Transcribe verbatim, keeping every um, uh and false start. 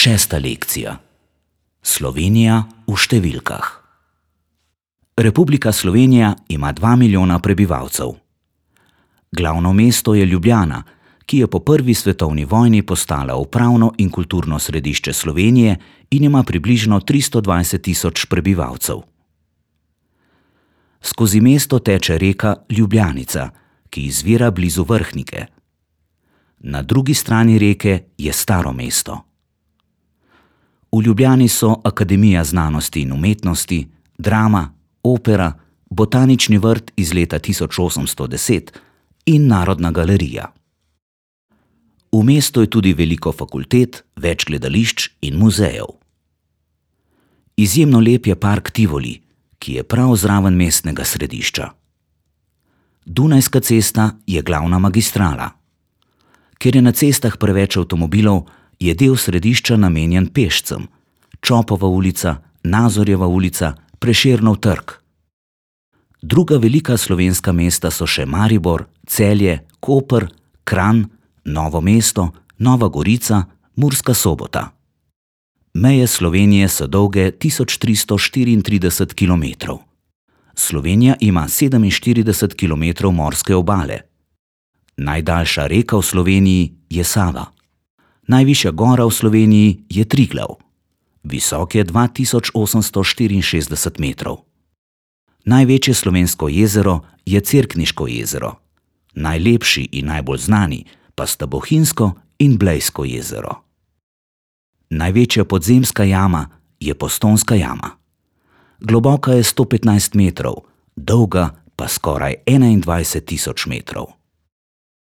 Šesta lekcija. Slovenija v številkah. Republika Slovenija ima dva milijona prebivalcev. Glavno mesto je Ljubljana, ki je po prvi svetovni vojni postala upravno in kulturno središče Slovenije in ima približno tristo dvajset tisoč prebivalcev. Skozi mesto teče reka Ljubljanica, ki izvira blizu Vrhnike. Na drugi strani reke je Staro mesto. V Ljubljani so Akademija znanosti in umetnosti, Drama, Opera, Botanični vrt iz leta tisoč osemsto deset in Narodna galerija. V mestu je tudi veliko fakultet, več gledališč in muzejev. Izjemno lep je park Tivoli, ki je prav zraven mestnega središča. Dunajska cesta je glavna magistrala. Ker je na cestah preveč avtomobilov, je del središča namenjen pešcem: Čopova ulica, Nazorjeva ulica, Prešernov trg. Druga velika slovenska mesta so še Maribor, Celje, Koper, Kranj, Novo mesto, Nova Gorica, Murska Sobota. Meje Slovenije so dolge tisoč tristo štiriintrideset kilometrov. Slovenija ima sedeminštirideset kilometrov morske obale. Najdaljša reka v Sloveniji je Sava. Najvišja gora v Sloveniji je Triglav. Visok je dva tisoč osemsto štiriinšestdeset metrov. Največje slovensko jezero je Cerkniško jezero. Najlepši in najbolj znani pa sta Bohinjsko in Blejsko jezero. Največja podzemska jama je Postojnska jama. Globoka je sto petnajst metrov, dolga pa skoraj enaindvajset tisoč metrov.